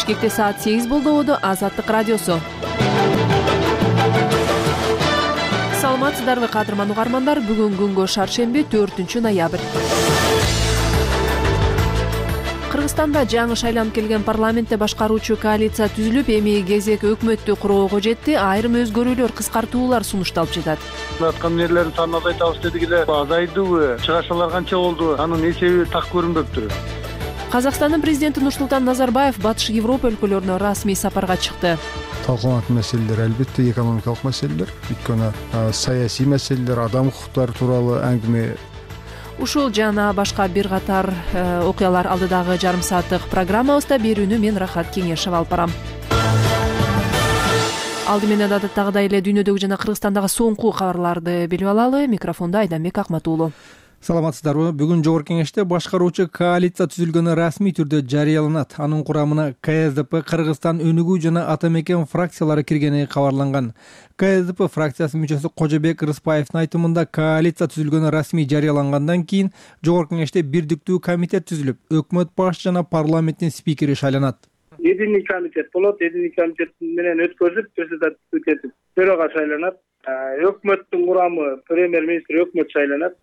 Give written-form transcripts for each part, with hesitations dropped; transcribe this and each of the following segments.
Бишкекте саат 8 болду. Азаттык радиосу. Саламатсыздарбы кадырман угармандар? Бүгүн күнгө шаршемби 4-ноябрь. Кыргызстанда жаңы шайланып келген парламентте башкаруучу коалиция түзүлүп, эми кезек өкмөттү куроого жетти. Айрым өзгөрүүлөр, кыскартуулар сунушталып жатат. Аткан нерлердин санын азайтабыз дедик эле. Азайдыбы? Чыгашалар канча болду? Анын эсеби так көрүнбөптүр. Казакстандын президенти Нурсултан Назарбаев Батыш Европа өлкөлөрүнө расмий сапарга чыкты. Талкууланат маселелер албетте экономикалык маселелер, өйткөнү саясий маселелер, адам укуктары тууралуу әңгиме. Ушул жана башка бир катар окуялар алдыдагы жарым сааттык программабызда. Берүүнү мен Рахат Кеңешев алып барам. Алды менен адаттагыдай эле дүйнөдөгү жана Кыргызстандагы соңку кабарларды билип алалы. Микрофондо Айданбек Акматуулу. Саламатсыздарбы? Бүгүн Жогорку Кеңеште башкаруучу коалиция түзүлгөнү расмий түрдө жарыяланат. Анын курамына КСДП, Кыргызстан өнүгүү жана Ата мекен фракциялары киргени кабарланган. КСДП фракциясынын мүчөсү Кожобек Рыспаевдин айтымында коалиция түзүлгөнү расмий жарыялангандан кийин Жогорку Кеңеште бирдиктүү комитет түзүлүп, өкмөт башчы жана парламенттин спикери шайланат. Единый комитет болот, единый комитет менен өткөзүп, председатель этип бирөөгө шайланат. Өкмөттүн курамы премьер-министр өкмөт шайланат.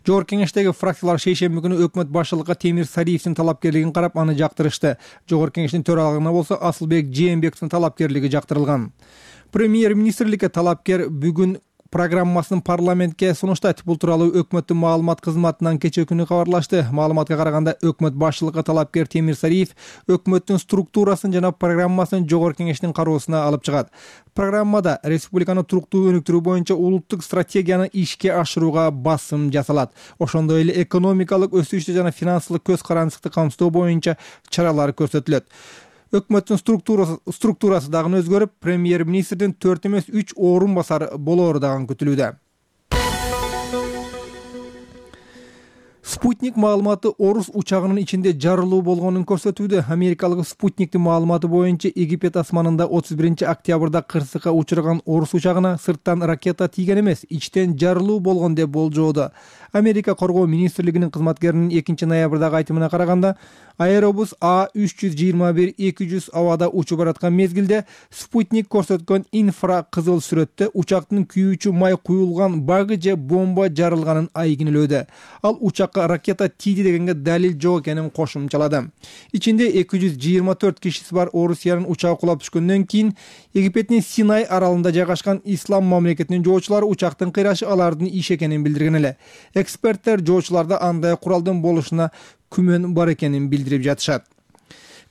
Жогорку Кеңештеги фракциялар шейшемби күнү өкмөт башчылыкка Темир Сариевдин талапкерлигин карап, аны жактырышты. Жогорку Кеңештин төрагалыгына болсо Асылбек Жээнбековдун талапкерлиги жактырылган. Премьер-министрликке талапкер бүгүн программасын парламентке сунуштайт. Бул тууралуу өкмөттүн маалымат кызматынан кечээ күнү кабарлашты. Маалыматка караганда, өкмөт башчылыкка талапкер Темир Сариев өкмөттүн структурасын жана программасын Жогорку Кеңештин кароосуна алып чыгат. Программада республиканы туруктуу өнүктүрүү боюнча улуттук стратегияны ишке ашырууга басым жасалат. Ошондой эле экономикалык өсүштү жана финансылык көз карандыкты камсыздоо боюнча чаралар көрсөтүлөт. Өкмөттүн структурасы дагы өзгөрүп, премьер-министрдин 4 эмес 3 орун басары болоору дагы күтүлүүдө. Спутник маалыматы орус учагынын ичинде жарылуу болгонун көрсөтүүдө. Америкалык Спутниктин маалыматы боюнча Египет асманында 31-октябрда кырсыкка учурган орус учагына сырттан ракета тийген эмес, ичтен жарылуу болгон деп болжоодо. Америка коргоо министрлигинин кызматкеринин 2-ноябрдагы айтымына караганда, Аэробус А321-200 абада учуп бараткан мезгилде Спутник көрсөткөн инфракызыл сүрөттө учактын күйүүчү май куюлган багы же бомба жарылганын айгинелөөдө. Ал учакка ракета тийди дегенге далил жок экенин кошумчалады. Ичинде 224 кишиси бар Орусиянын учагы кулап түшкөндөн кийин Египеттин Синай аралында жайгашкан Ислам мамлекетинин жоочулары учактын кыйрашы алардын иши экенин билдирген эле. Эксперттер жоочуларда андай куралдын болушуна күмөн бар экенин билдирип жатышат.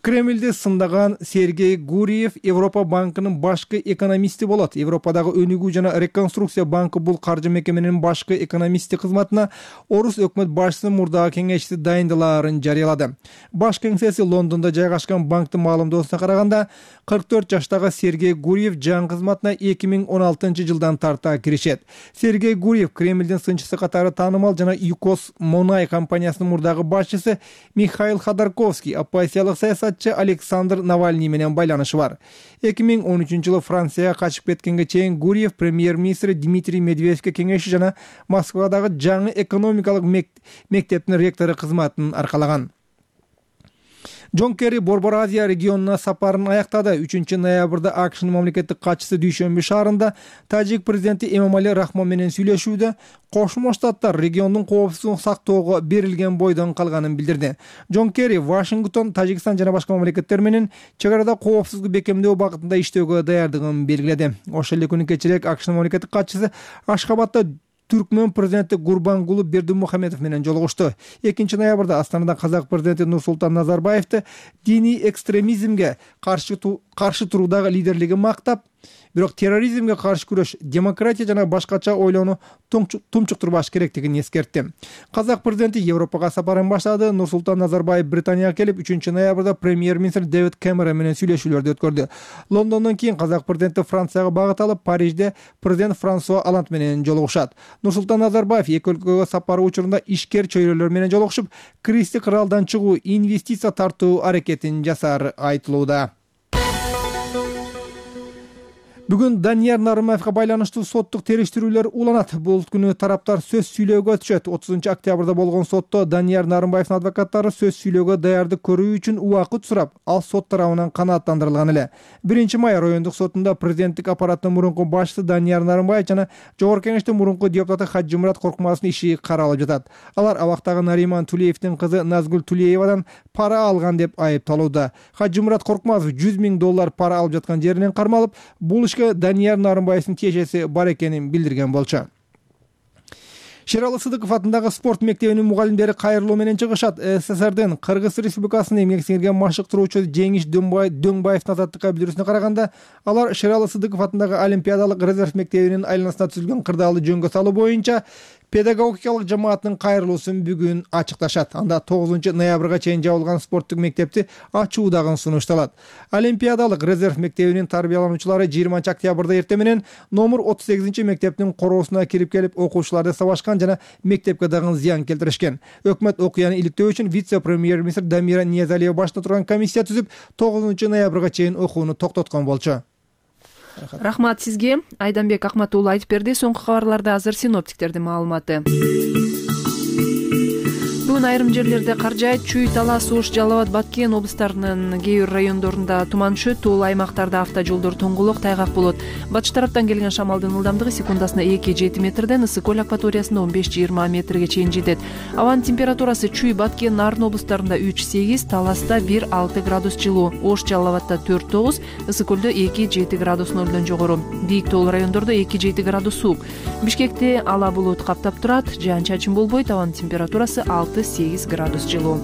Кремльди сындаган Сергей Гурьев Европа банкынын башкы экономисти болот. Европадагы өнүгүү жана реконструкция банкы бул каржы мекеменин башкы экономисти кызматына орус өкмөт башчысынын мурдагы кеңешчиси дайындалаарын жарыялады. Баш кеңсеси Лондондо жайгашкан банктын маалымдоосуна караганда, 44 жаштагы Сергей Гурьев жаңы кызматына 2016 жылдан тарта киришет. Сергей Гурьев Кремльдин сынчысы катары таанымал жана ЮКОС Монай компаниясынын мурдагы башчысы Михаил Ходорковский, оппозициялык саясатчы Александр Навальный менен байланышы бар. 2013 жылы Францияга качып кеткенге чейин Гурьев премьер-министр Дмитрий Медведевке кеңешчи жана Москвадагы жаңы экономикалык мектептин ректору кызматын аркалаган. Джон Керри Борбор Азия регионуна сапарын аяктады. 3-ноябрда АКШнын мамлекеттик катчысы Дүйшөмбү шаарында Тажик президенти Эмомали Рахмон менен сүйлөшүүдө Кошмо Штаттар региондун коопсуздугун сактоого берилген бойдон калганын билдирди. Джон Керри Вашингтон, Тажикстан жана башка мамлекеттер менен чек арада коопсуздукту бекемдөө багытында иштөөгө даярдыгын белгиледи. Ошол эле күнү кечирээк АКШнын мамлекеттик катчысы Ашхабадда Түркмөн президенти Гурбангулы Бердимухамедов менен жолугушту. 2-ноябрда Астанада казак президенти Нурсултан Назарбаевди диний экстремизмге каршы туруудагы лидерлигин мактап, бирок терроризмге каршы күрөш, демократия жана башкача ойлоону тумчуктурбаш керектигин эскертти. Казак президенти Европага сапарын баштады. Нурсултан Назарбаев Британияга келип, 3-ноябрда премьер-министр Дэвид Кэмерон менен сүйлөшүүлөрдү өткөрдү. Лондондон кийин казак президенти Францияга багыт алып, Парижде президент Франсуа Оланд менен жолугушат. Нурсултан Назарбаев эки өлкөгө сапары учурунда ишкер чөйрөлөр менен жолугушуп, кристик кыралдан чыгуу, инвестиция тартуу аракетин жасаары айтылууда. Бүгүн Данияр Нарымбаевга байланыштуу соттук териштирүүлөр уланат. Бул күнү тараптар сөз сүйлөөгө өтүшөт. 30 октябрда болгон сотто Данияр Нарымбаевдин адвокаттары сөз сүйлөөгө даярдык көрүү үчүн убакыт сурап, ал сот тарабынан канааттандырылган эле. 1-май райондук сотунда президенттик аппараттын мурунку башчысы Данияр Нарымбаев жана Жогорку Кеңештин мурунку депутаты Хажымурат Коркмазовдун иши каралып жатат. Алар абактагы Нариман Тулеевдин кызы Назгүл Тулеевадан пара алган деп айыпталууда. Хажымурат Коркмазов $100 000 пара алып жаткан жеринен кармалып, бул Данияр Нарымбаевдин тиешеси бар экенин билдирген болчу. Шералы Сыдыков атындагы спорт мектебинин мугалимдери кайрылуу менен чыгышат. СССРдин Кыргыз Республикасынын эмгек сиңирген машыктыруучу Жеңиш Дөңбаевдин азаттыкка билдирүүсүнө караганда, алар Шералы Сыдыков атындагы Олимпиадалык резерв мектебинин айланасына түзүлгөн кырдаалды жөнгө салуу боюнча педагогикалык жамааттын кайрылуусун бүгүн ачыкташат. Анда 9 ноябрга чейин жабылган спорттук мектепти ачуу дагы сунушталат. Олимпиадалык резерв мектебинин тарбиялануучулары 20 октябрда эртең менен номер 38 мектептин короосуна кирип келип окуучуларды сабашкан жана мектепке дагы зыян келтиришкен. Өкмөт окуяны иликтөө үчүн вице-премьер-министр Дамира Ниязалиева башында турган комиссия түзүп, 9 ноябрга чейин окууну токтоткон болчу. Рахмат сизге. Айданбек Акматуулу айтып берди. Соңку кабарларда азыр синоптиктердин маалыматы. Бүгүн айрым жерлерде кар жаайт. Чүй, Талас, Ош, Жалал Абад, Баткен облустарынын кээ бир райондорунда туман түшөт. Тул аймактарда автожолдор тоңголок, тайгак болот. Батыш тараптан келген шамалдын ылдамдыгы секундасына 2-7 метрден, ысык көл акваториясында 15-20 метрге чейин жетет. Абанын температурасы Чүй, Баткен, Нарын облустарында 3-8, Таласта 1-6 градус жылуу, Ош, Жалал Абадта 4-9, ысык көлдө 2-7 градус нөлдөн жогору. Бийик тоол райондордо 2-7 градус суук. Бишкекте ала булут каптап турат, жаан-чачын болбойт, абанын температурасы 6-8 градус жылуу.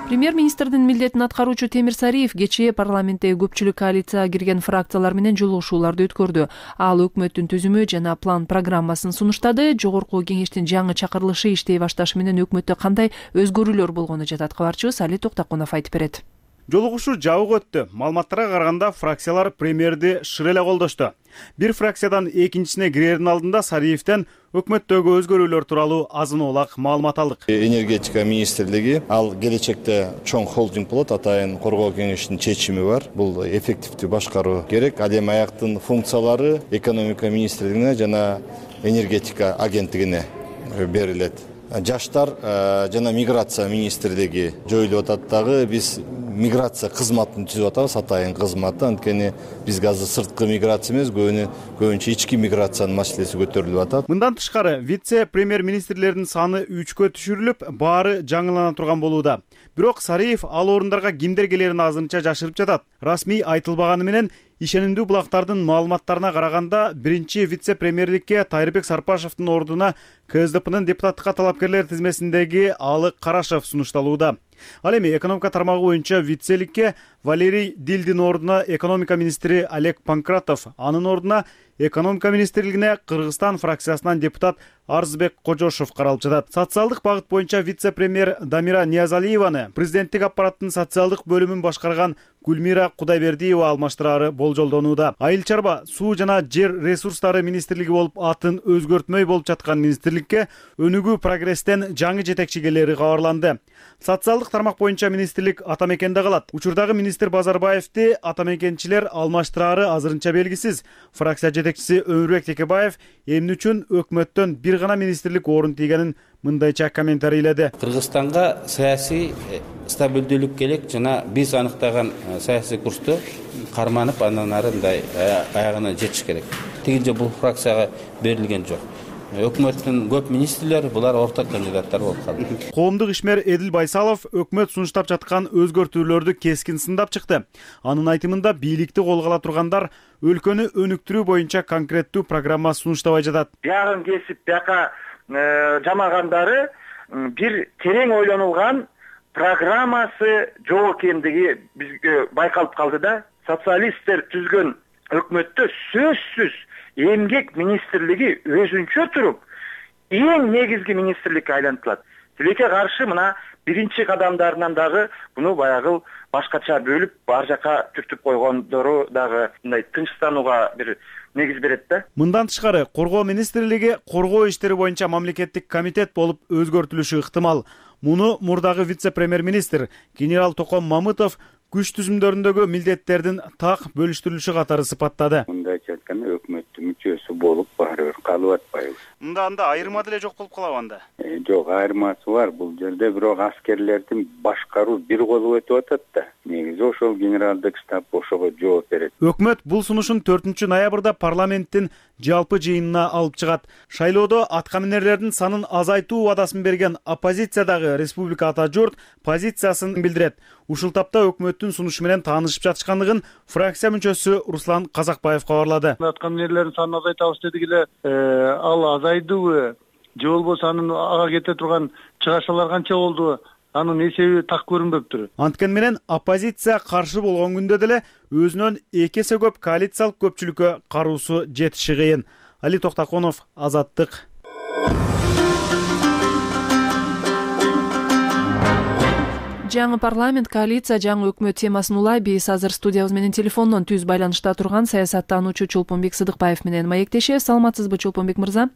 Премьер-министрдин милдетин аткаруучу Темир Сариев кечээ парламентте көпчүлүк коалицияга кирген фракциялар менен жолугушууларды өткөрдү. Ал өкмөттүн түзүмү жана план программасын сунуштады. Жогорку кеңештин жаңы чакырылышы иштей башташы менен өкмөттө кандай өзгөрүүлөр болгону жатат. Кабарчыбыз Али Токтакунов айтып берет. Жолугушуу жабык өттү. Маалыматтарга караганда фракциялар премьерди шыр эле колдошту. Бир фракциядан экинчисине кирердин алдында Сариевден өкмөттөгү өзгөрүүлөр тууралуу азын-оолак маалымат алдык. Энергетика министрлиги ал келечекте чоң холдинг болот, атайын коргоо кеңешинин чечими бар. Бул эффективдүү башкаруу керек. Ал эми аяктын функциялары экономика министрлигине жана энергетика агенттигине берилет. Жаштар жана миграция министрлиги жоюлуп атат дагы. Биз миграция кызматын түзүп атабыз, атайын кызматы. Анткени бизге азыр сырткы миграция эмес, көбүнчө ички миграциянын маселеси көтөрүлүп атат. Мындан тышкары вице-премьер-министрлердин саны 3-кө түшүрүлүп, баары жаңылана турган болууда. Бирок Сариев ал орундарга кимдер келерин азырынча жашырып жатат. Расмий айтылбаганы менен ишенимдүү булактардын маалыматтарына караганда, биринчи вице-премьерликке Тайырбек Сарпашевдин ордуна КСДПнын депутаттыкка талапкерлер тизмесиндеги Алык Карашев сунушталууда. Ал эми экономика тармагы боюнча вице-ликке Валерий Дилдин ордуна экономика министри Олег Панкратов, анын ордуна экономика министрлигине Кыргызстан фракциясынан депутат Арзбек Кожошов каралып жатат. Социалдык багыт боюнча вице-премьер Дамира Ниязалиеваны президенттик аппараттын социалдык бөлүмүн башкарган Гүлмира Кудайбердиева алмаштырары болжолдонууда. Айыл чарба, суу жана жер ресурстары министрлиги болуп атын өзгөртмөй болуп жаткан министрликке өнүгүү прогресстен жаңы жетекчи келери кабарланды. Социалдык тармак боюнча министрлик Атамекенде калат. Учурдагы министр Базарбаевди атамекенчилер алмаштырары азырынча белгисиз. Фракция жетекчиси Өмүрбек Текебаев эмне үчүн өкмөттөн бир гана министрлик орун тийгенин мындайча комментарийледи. Кыргызстанга саясий стабилдүүлүк керек жана биз аныктаган саясий курсту карманып, андан ары мындай аягына жетиш керек. Тигинче бул фракцияга берилген жок. Өкмөттүн көп министрлери булар орто кандидаттар болуп калды. Коомдук ишмер Эдил Байсалов өкмөт сунуштап жаткан өзгөртүүлөрдү кескин сындап чыкты. Анын айтымында бийликти колго ала тургандар өлкөнү өнүктүрүү боюнча конкреттүү программа сунуштабай жатат. Биягын кесип бияка жамагандары бир терең ойлонулган программасы жок экендиги бизге байкалып калды да. Социалисттер түзгөн өкмөттө сөзсүз эмгек министрлиги өзүнчө туруп эң негизги министрликке айлантылат. Тилекке каршы мына биринчи кадамдарынан дагы буну баягы башкача бөлүп ар жака түртүп койгондору дагы мындай тынчтанууга бир негиз берет да. Мындан тышкары коргоо министрлиги коргоо иштери боюнча мамлекеттик комитет болуп өзгөртүлүшү ыктымал. Муну мурдагы вице-премьер-министр генерал Током Мамытов күч түзүмдөрүндөгү милдеттердин так бөлүштүрүлүшү катары сыпаттады. Мындайча айтканда өкмөттүн мүчөсү болуп баары бир калып атпайбыз. Анда айырма деле жок болуп калабы анда? Жок, айырмасы бар. Бул жерде бирок аскерлердин башкаруу бир колу өтүп атат да. Негизи ошол генералдык штаб ошого жооп берет. Өкмөт бул сунушун 4-ноябрда парламенттин жалпы жыйынына алып чыгат. Шайлоодо аткаминерлердин санын азайтуу убадасын берген оппозициядагы Республика Ата журт позициясын билдирет. Ушул тапта өкмөттүн сунушу менен таанышып жатышкандыгын фракция мүчөсү Руслан Казакбаев кабарлады. Аткаминерлердин санын азайтабыз дедик эле, ал азайдыбы же болбосо анын ага кете турган чыгашалар канча болду? Анын эсеби так көрүнбөптүр. Анткени менен оппозиция каршы болгон күндө деле өзүнөн 2 эсе көп коалициялык көпчүлүккө каруусу жетиши кыйын. Али Токтаконов, Азаттык. Жаңы парламент, коалиция, жаңы өкмөт темасын улай биз азыр студиябыз менен телефондон түз байланышта турган саясаттануучу Чолпонбек Сыдыкбаев менен маектешебиз. Саламатсызбы, Чолпонбек мырза?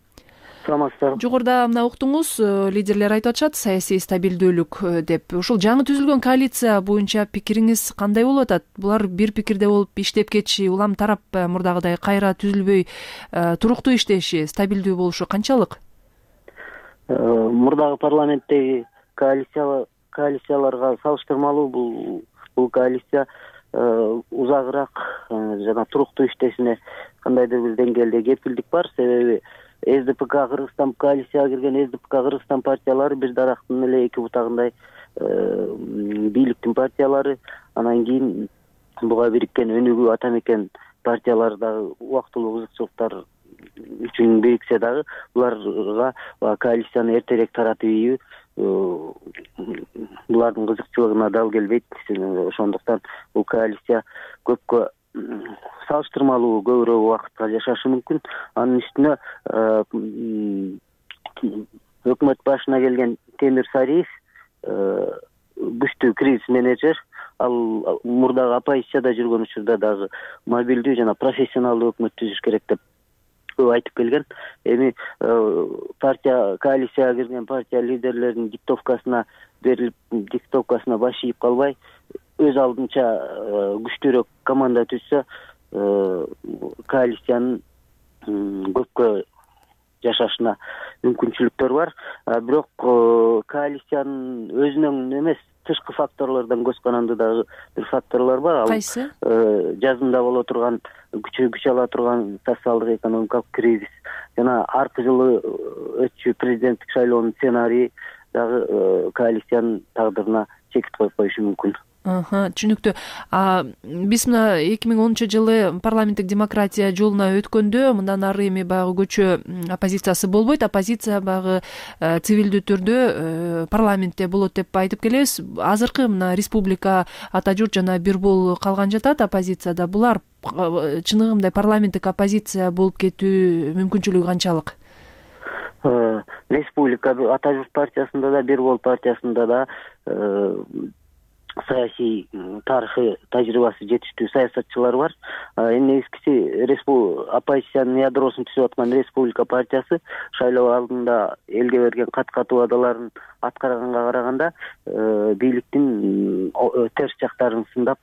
Саламатсыздар. Жогоруда мына уктуңуз, лидерлер айтып атышат саясий стабилдүүлүк деп. Ушул жаңы түзүлгөн коалиция боюнча пикириңиз кандай болуп атат? Булар бир пикирде болуп иштеп кетиши, улам тарап мурдагыдай кайра түзүлбөй туруктуу иштеши, стабилдүү болушу канчалык? Мурдагы парламенттеги коалицияларга салыштырмалуу бул коалиция узагыраак жана туруктуу иштешине кандайдыр бир деңгээлде кепилдик бар. Себеби СДПК Кыргызстан коалицияга кирген СДПК Кыргызстан партиялары бир дарактын эле эки бутагындай бийликтин партиялары. Анан кийин буга бириккен өнүгүү ата мекен партиялары дагы убактылуу кызыкчылыктар үчүн бириксе дагы буларга коалицияны эртерээк таратып ийүү булардын кызыкчылыгына дал келбейт. Ошондуктан бул коалиция көпкө салыштырмалуу көбүрөөк убакытка жашашы мүмкүн. Анын үстүнө өкмөт башына келген Темир Сариев күчтүү кризис менеджер. Ал мурдагы оппозицияда жүргөн учурда дагы мобилдүү жана профессионалдуу өкмөт түзүш керек деп айтып келген. Эми коалицияга кирген партия лидерлеринин диктовкасына берилип, диктовкасына баш ийип калбай, өз алдынча күчтүүрөөк команда түзсө, коалициянын көпкө жашашына мүмкүнчүлүктөр бар. Бирок коалициянын өзүнөн эмес, тышкы факторлордон көз каранды дагы бир факторлор бар. Кайсы? Жазында боло турган, күч ала турган социалдык экономикалык кризис жана аркы жылы өтчү президенттик шайлоонун сценарийи дагы коалициянын тагдырына чекит коюп коюшу мүмкүн. Түшүнүктүү. Биз мына 2010-жылы парламенттик демократия жолуна өткөндө мындан ары эми баягы көчө оппозициясы болбойт, оппозиция баягы цивилдүү түрдө парламентте болот деп айтып келебиз. Азыркы мына Республика Ата журт жана Бир бол калган жатат оппозицияда. Булар чыныгы парламенттик оппозиция болуп кетүү мүмкүнчүлүгү канчалык? Республика Ата журт партиясында да, Бир бол партиясында да саясий тарыхый тажрыйбасы жетиштүү саясатчылар бар. Эми негизгиси оппозициянын ядросун түзүп аткан Республика партиясы шайлоо алдында элге берген кат убадаларын аткарганга караганда бийликтин терс жактарын сындап,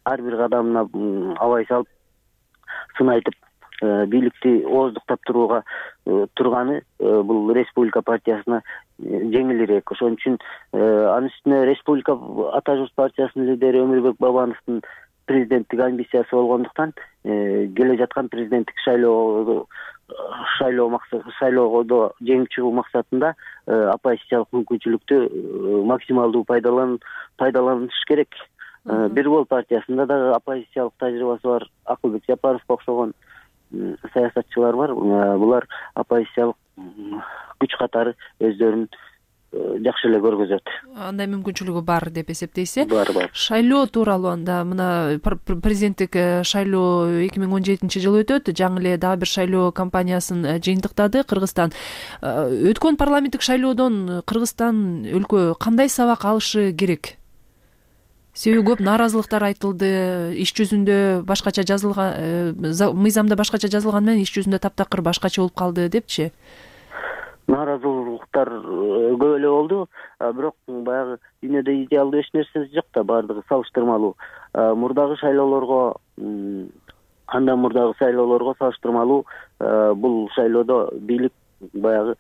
ар бир кадамына абай салып, сын айтып, бийликти ооздуктап турганы бул Республика партиясына жеңилирээк. Ошон үчүн анын үстүнө Республика Ата журт партиясынын лидери Өмүрбек Бабановдун президенттик амбициясы болгондуктан келе жаткан президенттик шайлоодо жеңип чыгуу максатында оппозициялык мүмкүнчүлүктү максималдуу пайдаланыш керек. Бир бол партиясында дагы оппозициялык тажрыйбасы бар Акылбек Жапаровго окшогон саясатчылар бар. Булар оппозициялык күч катары өздөрүн жакшы эле көргөзөт. Андай мүмкүнчүлүгү бар деп эсептейсиз? Бар. Шайлоо тууралуу анда мына президенттик шайлоо 2017-жылы өтөт. Жаңы эле дагы бир шайлоо кампаниясын жыйынтыктады Кыргызстан. Өткөн парламенттик шайлоодон Кыргызстан өлкө кандай сабак алышы керек? Себеби көп нааразылыктар айтылды, иш жүзүндө башкача жазылган, мыйзамда башкача жазылган менен иш жүзүндө таптакыр башкача болуп калды депчи. Нааразылык укуктар көп эле болду, бирок баягы дүйнөдө идеалдуу эч нерсе жок да, баардыгы салыштырмалуу. Мурдагы шайлоолорго, андан мурдагы шайлоолорго салыштырмалуу бул шайлоодо бийлик баягы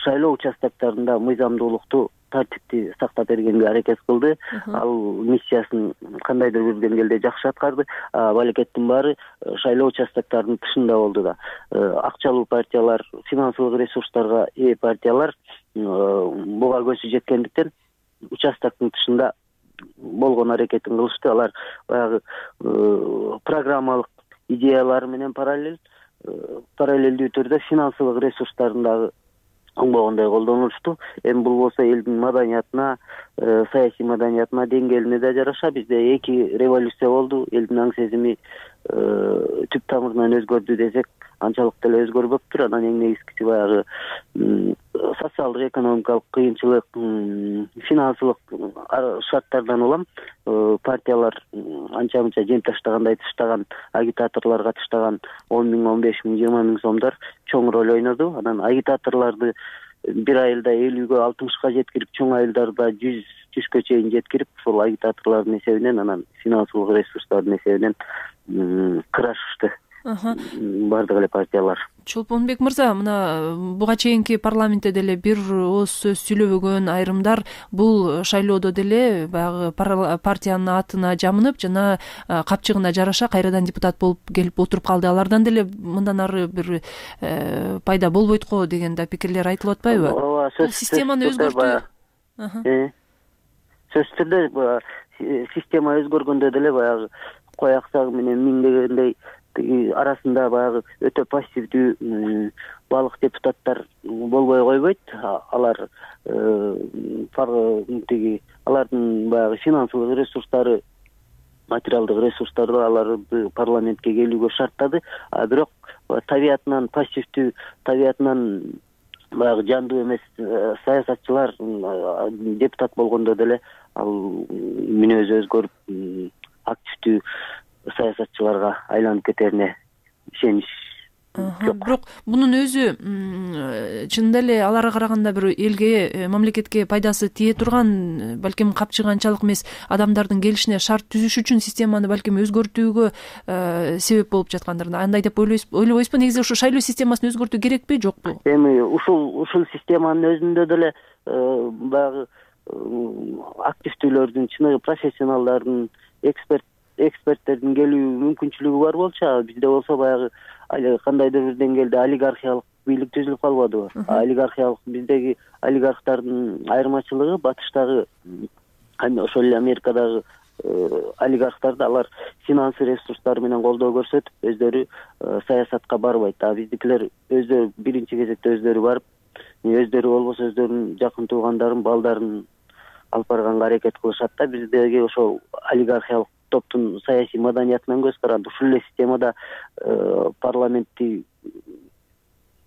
шайлоо участоктарында мыйзамдуулукту, тартипти сактап бергенге аракет кылды. Ал миссиясын кандайдыр бир деңгээлде жакшы аткарды. Балекеттин баары шайлоо участоктарынын тышында болду да. Акчалуу партиялар, финансылык ресурстарга ээ партиялар буга көзү жеткендиктен участоктун тышында болгон аракетин кылышты. Алар баягы программалык идеялары менен параллелдүү түрдө финансылык ресурстарын дагы оңбогондой колдонулушту. Эми бул болсо элдин маданиятына, саясий маданиятына, деңгээлине да жараша. Бизде 2 революция болду. Элдин аң сезими түп тамырынан өзгөрдү десек, анчалык деле өзгөрбөптүр. Анан эң негизгиси баягы социалдык, экономикалык кыйынчылык, финансылык шарттардан улам партиялар анча-мынча жем таштагандай таштаган, агитаторлорго таштаган 10 миң, 15 миң, 20 миң сомдор чоң роль ойноду. Анан агитаторлорду бир айылда 50-ге 60-га жеткирип, чоң айылдарда 100-га чейин жеткирип, ошол агитаторлордун эсебинен, анан финансылык ресурстардын эсебинен кырашышты бардык эле партиялар. Чолпонбек мырза, мына буга чейинки парламентте деле бир ооз сөз сүйлөбөгөн айрымдар бул шайлоодо деле баягы партиянын атына жамынып, жана капчыгына жараша кайрадан депутат болуп келип отуруп калды. Алардан деле мындан ары бир пайда болбойт го деген да пикирлер айтылып атпайбы? Ооба, системаны өзгөртүү. Сөзсүз түрдө система өзгөргөндө деле баягы кой аксагы менен миңдегендей арасында баягы өтө пассивдүү балык депутаттар болбой койбойт. Алар алардын баягы финансылык ресурстары, материалдык ресурстары аларды парламентке келүүгө шарттады. Бирок табиятынан пассивдүү, табиятынан баягы жандуу эмес саясатчылар депутат болгондо деле ал мүнөзү өзгөрүп активдүү саясатчыларга айланып кетерине ишенич жок. Бирок мунун өзү чынында эле аларга караганда бир элге, мамлекетке пайдасы тие турган, балким капчыгы анчалык эмес адамдардын келишине шарт түзүш үчүн системаны балким өзгөртүүгө себеп болуп жаткандыр. Андай деп ойлобойсузбу? Негизи ушу шайлоо системасын өзгөртүү керекпи, жокпу? Эми ушул системанын өзүндө деле баягы активдүүлөрдүн, чыныгы профессионалдардын, эксперттердин келүү мүмкүнчүлүгү бар болчу. Бизде болсо баягы кандайдыр бир деңгээлде олигархиялык бийлик түзүлүп калбадыбы? Олигархиялык, биздеги олигархтардын айырмачылыгы батыштагы, ошол эле Америкадагы олигархтарды алар финансы ресурстары менен колдоо көрсөтүп, өздөрү саясатка барбайт. Биздикилер өздөрү биринчи кезекте өздөрү барып, өздөрү болбосо өздөрүнүн жакын туугандарын, балдарын алып барганга аракет кылышат да. Биздеги ошол олигархиялык топтун саясий маданиятынан көз каранды. Ушул эле системада парламентти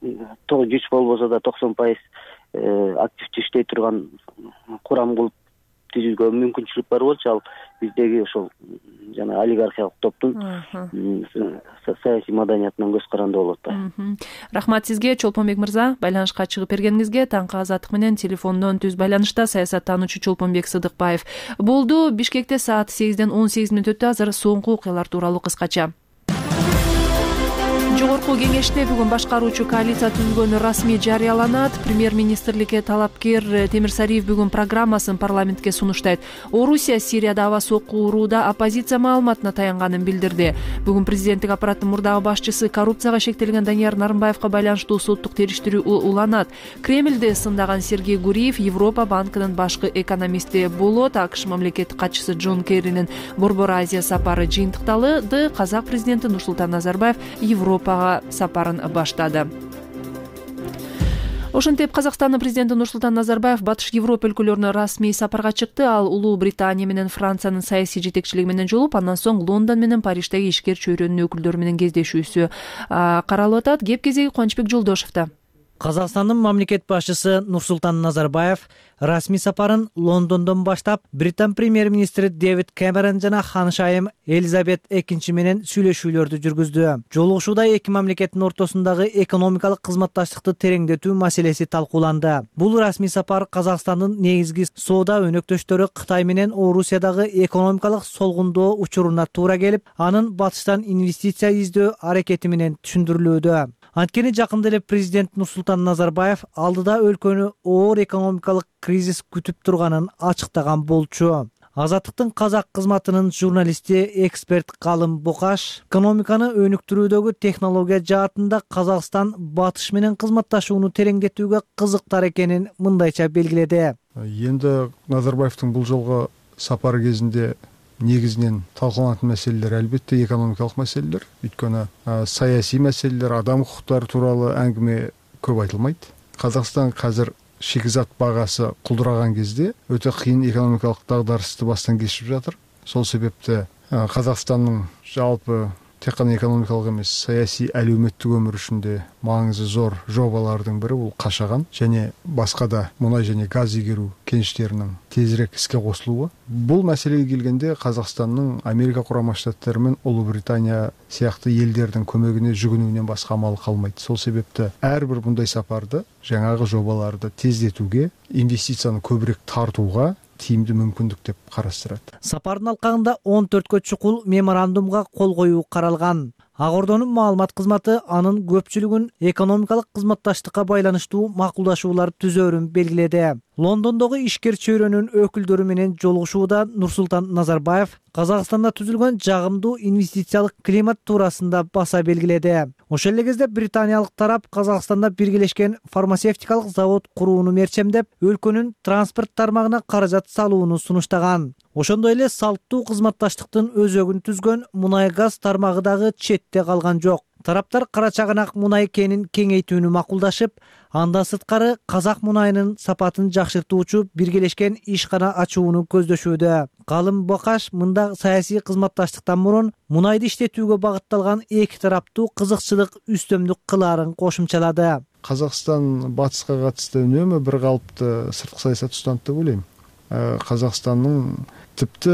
жүч болбосо да 90% активдүү иштей турган курам кылып түзүүгө мүмкүнчүлүк бар болчу. Ал биздеги ошол жана олигархиялык топтун саясий маданиятынан көз каранды болуп атпайбы? Рахмат сизге, Чолпонбек мырза, байланышка чыгып бергениңизге. Таңкы азаттык менен телефондон түз байланышта саясаттануучу Чолпонбек Сыдыкбаев болду. Бишкекте саат 8-ден 18 мүнөт өттү. Азыр соңку окуялар тууралуу кыскача. Жогорку кеңеште бүгүн башкаруучу коалиция түзүлгөнү расмий жарыяланат. Премьер-министрликке талапкер Темир Сариев бүгүн программасын парламентке сунуштайт. Орусия Сирияда аба сокку урууда оппозиция маалыматына таянганын билдирди. Бүгүн президенттик аппараттын мурдагы башчысы коррупцияга шектелген Данияр Нарымбаевка байланыштуу соттук териштирүү уланат. Кремльди сындаган Сергей Гуриев Европа банкынын башкы экономисти болот. АКШ мамлекеттик катчысы Джон Керринин Борбор Азия сапары жыйынтыкталды. Казак президенти Нурсултан Назарбаев Европага сапарын баштады. Ошентип Казакстандын президенти Нурсултан Назарбаев Батыш Европа өлкөлөрүнө расмий сапарга чыкты. Ал Улуу Британия менен Франциянын саясий жетекчилиги менен жолугуп, андан соң Лондон менен Париждеги ишкер чөйрөнүн өкүлдөрү менен кездешүүсү каралып атат. Кеп кезеги Кубанычбек Жолдошевдо. Казакстандын мамлекет башчысы Нурсултан Назарбаев расмий сапарын Лондондон баштап Британ премьер-министри Дэвид Кэмерон жана ханышайым Элизабет II менен сүйлөшүүлөрдү жүргүздү. Жолугушууда эки мамлекеттин ортосундагы экономикалык кызматташтыкты тереңдетүү маселеси талкууланды. Бул расмий сапар Казакстандын негизги соода өнөктөштөрү Кытай менен Орусиядагы экономикалык солгундоо учуруна туура келип, анын батыштан инвестиция издөө аракети менен түшүндүрүлүүдө. Анткени жакында эле президент Нурсултан Назарбаев алдыда өлкөнү оор экономикалык кризис күтүп турганын ачыктаган болчу. Азаттыктын казак кызматынын журналисти, эксперт Калым Бокаш экономиканы өнүктүрүүдөгү технология жаатында Казакстан батыш менен кызматташууну тереңдетүүгө кызыктар экенин мындайча белгиледи. Енді Назарбаевдин бул жолго сапары кезинде негизинен талкууланатын маселелер албетте экономикалык маселелер. Өйткөнү саясий маселелер, адам укуктары тууралуу әңгіме көп айтылмайт. Казакстан азыр шикизат багасы кулдураган кезде өтө кыйын экономикалык дагдарысты баштан кечирип жатыр. Сол себепте Казакстандын жалпы тек кана экономикалык эмес, саясий әлеуметтик өмүр үчүндө маңызы зор жобалардын бири бул Кашаган және башка да мунай және газ игерүү кеништеринин тезирээк иске кошулуусу. Бул маселеге келгенде Казакстандын Америка Курама Штаттары менен Улуу Британия сыяктуу элдердин көмөгүнө жүгүнүүнөн башка амал калмайт. Сол себепте ар бир мындай сапарды жаңагы жобаларды тездетүүгө, инвестицияны көбүрөөк тартууга тийимдүү мүмкүндүк деп карастырат. Сапардын алкагында 14 чукул меморандумга кол коюу каралган. Ак Ордонун маалымат кызматы анын көпчүлүгүн экономикалык кызматташтыкка байланыштуу макулдашуулар түзөөрүн белгиледи. Лондондогу ишкер чөйрөнүн өкүлдөрү менен жолугушууда Нурсултан Назарбаев Казакстанда түзүлгөн жагымдуу инвестициялык климат туурасында баса белгиледи. Ошол эле кезде британиялык тарап Казакстанда биргелешкен фармацевтикалык завод курууну мерчемдеп, өлкөнүн транспорт тармагына каражат салууну сунуштаган. Ошондой эле салттуу кызматташтыктын өзөгүн түзгөн мунай-газ тармагы дагы четте калган жок. Тараптар кара чыганак мунай кенин кеңейтүүнү макулдашып, андан сырткары казак мунайынын сапатын жакшыртуучу биргелешкен ишкана ачууну көздөшүүдө. Калым Бокаш мында саясий кызматташтыктан мурун мунайды иштетүүгө багытталган эки тараптуу кызыкчылык үстөмдүк кылаарын кошумчалады. Казакстан батышка катышты үнөмө бир калыпты сырткы саясат устанат деп ойлойм. Казакстандын типти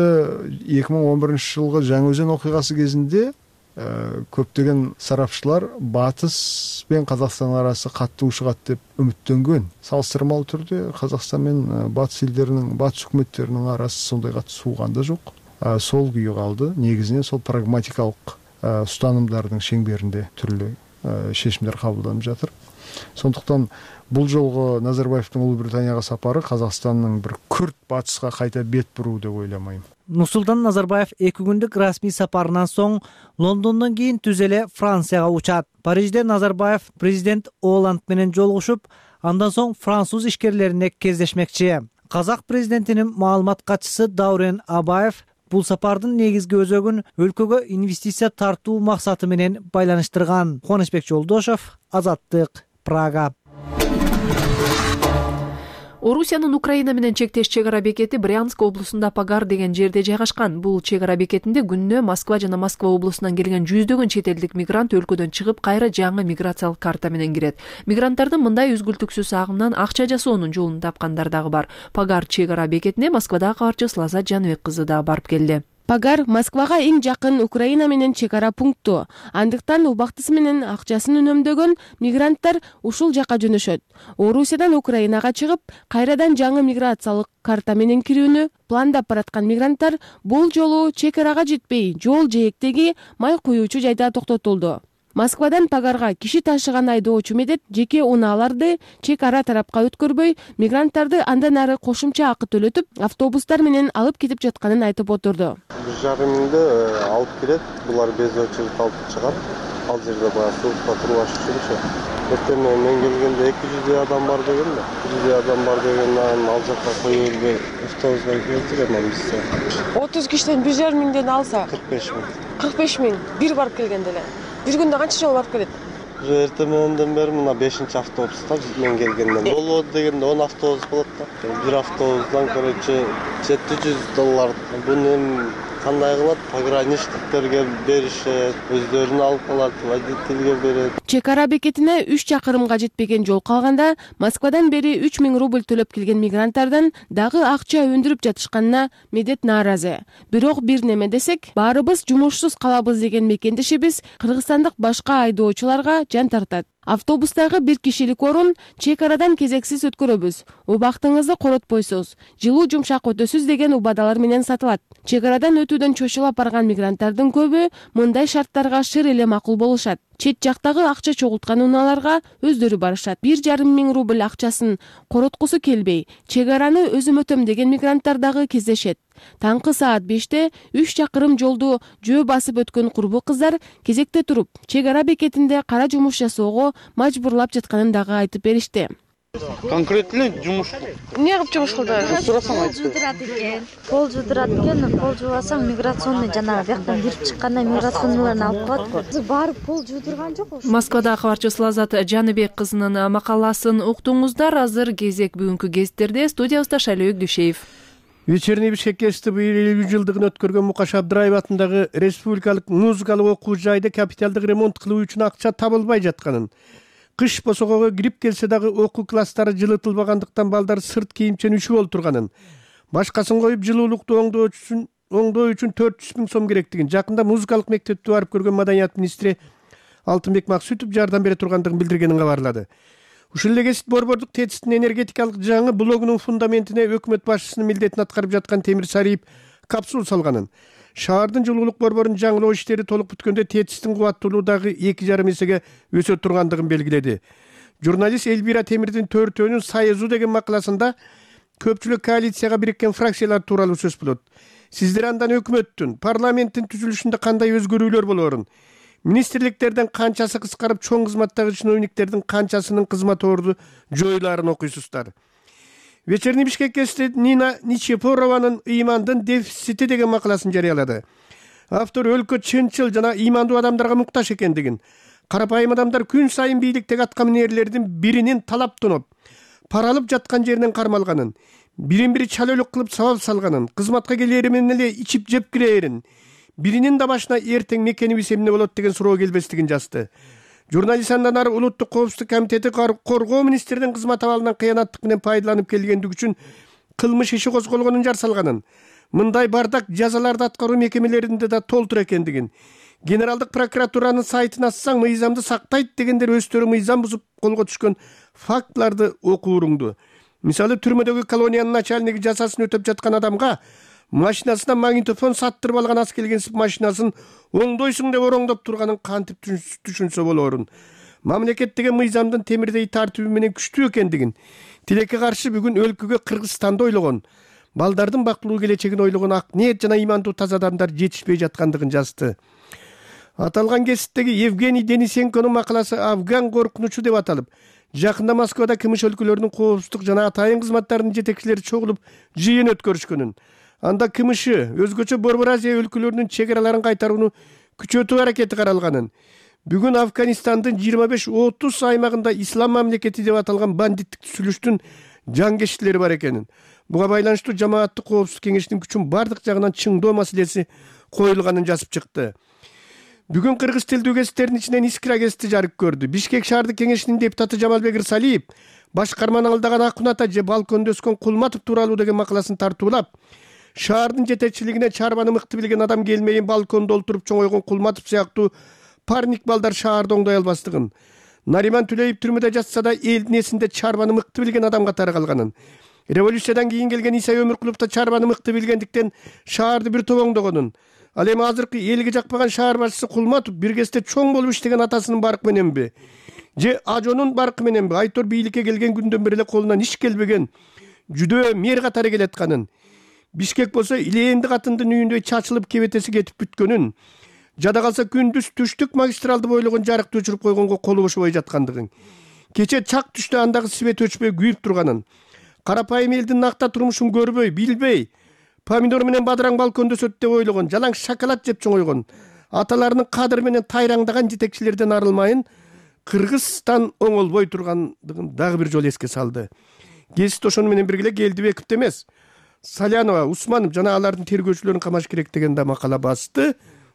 2011 жылгы Жаңы Өзен окугасы кезинде көптөгөн сарапчылар батыс менен Казакстан арасы катуу ушугат деп үмүттөнгөн. Салыштырмалуу түрдө Казакстан менен батыс элдеринин, батыс өкмөттеринин арасы сондай катуу сууган да жок. Сол күйү калды. Негизинен сол прагматикалык устанымдардын шеңберинде түрлүү чечимдер кабылданып жатыр. Сондуктан бул жолго Назарбаевдин Улуу Британияга сапары Казакстандын бир күрт батышка кайта бет буруу деп ойламайм. Нурсултан Назарбаев 2 күндүк расмий сапарынан соң Лондондон кийин түз эле Францияга учат. Парижде Назарбаев президент Оланд менен жолугушуп, андан соң француз ишкерлерине кездешмекчи. Казак президентинин маалымат катчысы Даурен Абаев бул сапардын негизги өзөгүн өлкөгө инвестиция тартуу максаты менен байланыштырган. Кубанычбек Жолдошов, Азаттык, Прага. Орусиянын Украина менен чектеш чек ара бекети Брянск облусунда Пагар деген жерде жайгашкан. Бул чек ара бекетинде күнүнө Москва жана Москва облусунан келген жүздөгөн чет элдик мигрант өлкөдөн чыгып, кайра жаңы миграциялык карта менен кирет. Мигранттардын мындай үзгүлтүксүз агымынан акча жасоонун жолун тапкандар дагы бар. Пагар чек ара бекетине Москвадагы кабарчыбыз Лазат Жаныбек кызы да барып келди. Пагар Москвага эң жакын Украина менен чек ара пункту. Андыктан убактысы менен акчасын үнөмдөгөн мигранттар ушул жака жөнөшөт. Орусиядан Украинага чыгып, кайрадан жаңы миграциялык карта менен кирүүнү пландап бараткан мигранттар бул жолу чек арага жетпей, жол жээктеги май куюучу жайда токтотулду. Москвадан Пагарга киши ташыган айдоочу медет жеке унааларды чек ара тарапка өткөрбөй, мигранттарды андан ары кошумча акы төлөтүп, автобустар менен алып кетип жатканын айтып отурду. 1,5 миңди алып келет, булар без очередь алып чыгат. Ал жерде баягы суугукта туруп жүрчү. Эртең мен келгенде 200 адам бар деген да. 200 адам бар дегенден ал жакка коюп элбей автобуска келтирем бизде. 30 кишиден 1,5 миңден алса 45 миң. 45 миң бир барып келгенде эле. Бир күндө канча жол барып келет? Эртең мененден бери мына 5-чи автобуста мен келгенден болот дегенде 10 автобус болот да. Бир автобустан короче $700. Буну кандай кылат? Пограничниктерге беришет, өздөрүнө алып калат, водительге берет. Чек ара бекетине 3 чакырымга жетпеген жол калганда Москвадан бери 3000 рубль төлөп келген мигранттардан дагы акча өндүрүп жатышканына Медет нааразы. Бирок бир неме десек, баарыбыз жумушсуз калабыз деген мекендешибиз кыргызстандык башка айдоочуларга жан тартат. Автобустагы бир кишилик орун чек арадан кезексиз өткөрөбүз. Убактыңызды коротпойсуз, жылуу жумшак өтөсүз деген убадалар менен сатылат. Чек арадан өтүүдөн чочулап барган мигранттардын көбү мындай шарттарга шыр эле макул болушат. Чет жактагы акча чогулткан унааларга өздөрү барышат. 1,5 рубль акчасын короткусу келбей, чек араны өзүм өтөм деген мигранттар дагы кездешет. Таңкы саат 5-те 3 чакырым жолду жөө басып өткөн курбу кыздар кезекте туруп, чек ара бекетинде кара жумуш жасоого мажбурлап жатканын дагы айтып беришти. Конкретно жумуш. Эмне кылып жумуш кылдыңыз? Сурасаң айтып. Пол жудурат экен, пол жубасаң миграционный жанагы бияктан кирип чыкканда миграционныйларын алып коет го. Барып пол жудурган жок. Москвада кабарчыбыз Лазат Жаныбек кызынын макаласын уктуңуздар. Азыр кезек бүгүнкү гезиттерде. Студиябызда Шайлоок Дүйшеев. Вечерний Бишкекке быйыл 50 жылдыгын өткөргөн Мукаш Абдыраев атындагы республикалык музыкалык окуу жайды капиталдык ремонт кылуу үчүн акча табылбай жатканын, кыш босогого кирип келсе дагы окуу класстары жылытылбагандыктан балдар сырт кийимчен үшүп олтурганын, башкасын коюп жылуулукту оңдоо үчүн 400 000 сом керектигин жакында музыкалык мектепти барып көргөн маданият министри Алтынбек Максутов жардам бере тургандыгын билдиргенин кабарлады. Ушул эле Кесип борбордук ТЭЦтин энергетикалык жаңы блогунун фундаментине өкмөт башчысынын милдетин аткарып жаткан Темир Сариев капсул салганын, шаардын жылуулук борборун жаңылоо иштери толук бүткөндө ТЭЦтин кубаттуулугу дагы 2,5 эсеге өсө тургандыгын белгиледи. Журналист Эльвира Темирдин төртөөнүн Союзу деген макаласында көпчүлүк коалицияга бириккен фракциялар тууралуу сөз болот. Сиздер андан өкмөттүн, парламенттин түзүлүшүндө кандай өзгөрүүлөр болоорун, министрликтерден канчасы кыскарып, чоң кызматтагы чиновниктердин канчасынын кызмат орду жоюларын окуйсуздар. Вечерний Бишкекке Нина Ничепорованын ыймандын дефицити деген макаласын жарыялады. Автор өлкө чынчыл жана ыймандуу адамдарга муктаж экендигин, карапайым адамдар күн сайын бийликтеги аткаминерлердин биринин талап тоноп, паралып жаткан жеринен кармалганын, бирин-бири чалөлүк кылып сабап салганын, кызматка келери менен эле ичип жеп кирээрин, биринин да башына эртең мекенибиз эмне болот деген суроо келбестигин жазды. Журналист андан ары Улуттук коопсуздук комитети коргоо министринин кызмат абалынан кыянаттык менен пайдаланып келгендиги үчүн кылмыш иши козголгонун жар салганын, мындай бардак жазаларды аткаруу мекемелеринде да толтур экендигин, генералдык прокуратуранын сайтын ачсаң мыйзамды сактайт дегендер өздөрү мыйзам бузуп колго түшкөн фактыларды окууруңду. Мисалы, түрмөдөгү колониянын начальниги жазасын өтөп жаткан адамга машинасына магнитофон саттырып алган ас келгенсип машинасын оңдойсуң деп ороңдоп турганын кантип түшүнсө болоорун. Мамлекет деген мыйзамдын темирдей тартиби менен күчтүү экендигин, тилекке каршы бүгүн өлкөгө Кыргызстанды ойлогон, балдардын бактылуу келечегин ойлогон ак ниет жана ыймандуу таза адамдар жетишпей жаткандыгын жазды. Аталган кесиптеги Евгений Денисенконун макаласы Афган коркунучу деп аталып, жакында Москвада кымыш өлкөлөрүнүн коопсуздук жана атайын кызматтарынын жетекчилери чогулуп жыйын өткөрүшкөнүн, анда кымышы өзгөчө Борбор Азия өлкөлөрүнүн чек араларын кайтарууну күчөтүү аракети каралганын, бүгүн Афганистандын 25-30 аймагында ислам мамлекети деп аталган бандиттик түзүлүштүн жаңгештилери бар экенин, буга байланыштуу жамааттык коопсуздук кеңешинин күчүн бардык жагынан чыңдоо маселеси коюлганын жазып чыкты. Бүгүн кыргыз тилдүү кесиптердин ичинен Искра кесипти жарык көрдү. Бишкек шаардык кеңешинин депутаты Жамалбек Ырсалиев башкарманы алдаган Акун ата же балкондо өскөн Кулматов тууралуу деген макаласын тартуулап, шаардын жетекчилигине чарбаны мыкты билген адам келмейин, балкондо олтуруп чоңойгон Кулматов сыяктуу парник балдар шаарда оңдой албастыгын, Нариман Түлеев түрмөдө жатса да элдин эсинде чарбаны мыкты билген адам катары калганын, революциядан кийин келген Исай Өмүркулов да чарбаны мыкты билгендиктен шаарды бир топ оңдогонун, ал эми азыркы элге жакпаган шаар башчысы Кулматов бир кезде чоң болуп иштеген атасынын баркы мененби же ажонун баркы мененби Айтор бийликке келген күндөн бери эле колунан иш келбеген жүдөө мэр катары келатканын, Бишкек болсо илээнди катындын үйүндөй чачылып кебетеси кетип бүткөнүн, жада калса күндүз түштүк магистралды бойлогон жарыкты өчүрүп койгонго колу бошобой жаткандыгын, кече чак түштө андагы свет өчпөй күйүп турганын, карапайым элдин накта турмушун көрбөй, билбей, помидор менен бадыраң балкондо өсөт деп ойлогон, жалаң шоколад жеп чоңойгон, аталарынын кадыры менен тайраңдаган жетекчилерден арылмайын, Кыргызстан оңолбой тургандыгын дагы бир жолу эске салды. Гезит ошону менен бирге Келдибековду эмес, Салянова, Усманов жана алардын тергөөчүлөрүн камаш керек деген да макала басты.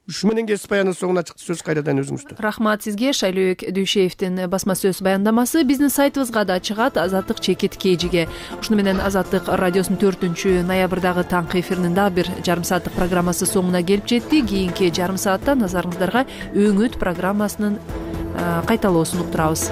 Ушу менен кесип аянын соңуна чыкты. Сөз кайрадан өзүңүздө. Рахмат сизге. Шайлөөбек Дүйшеевдин басма сөз баяндамасы биздин сайтыбызга да чыгат, Азаттык чекит KG'ге. Ушуну менен Азаттык радиосунун 4-ноябрдагы таңкы эфиринин дагы бир жарым сааттык программасы соңуна келип жетти. Кийинки жарым саатта назарыңыздарга Өңөт программасынын кайталоосун уктурабыз.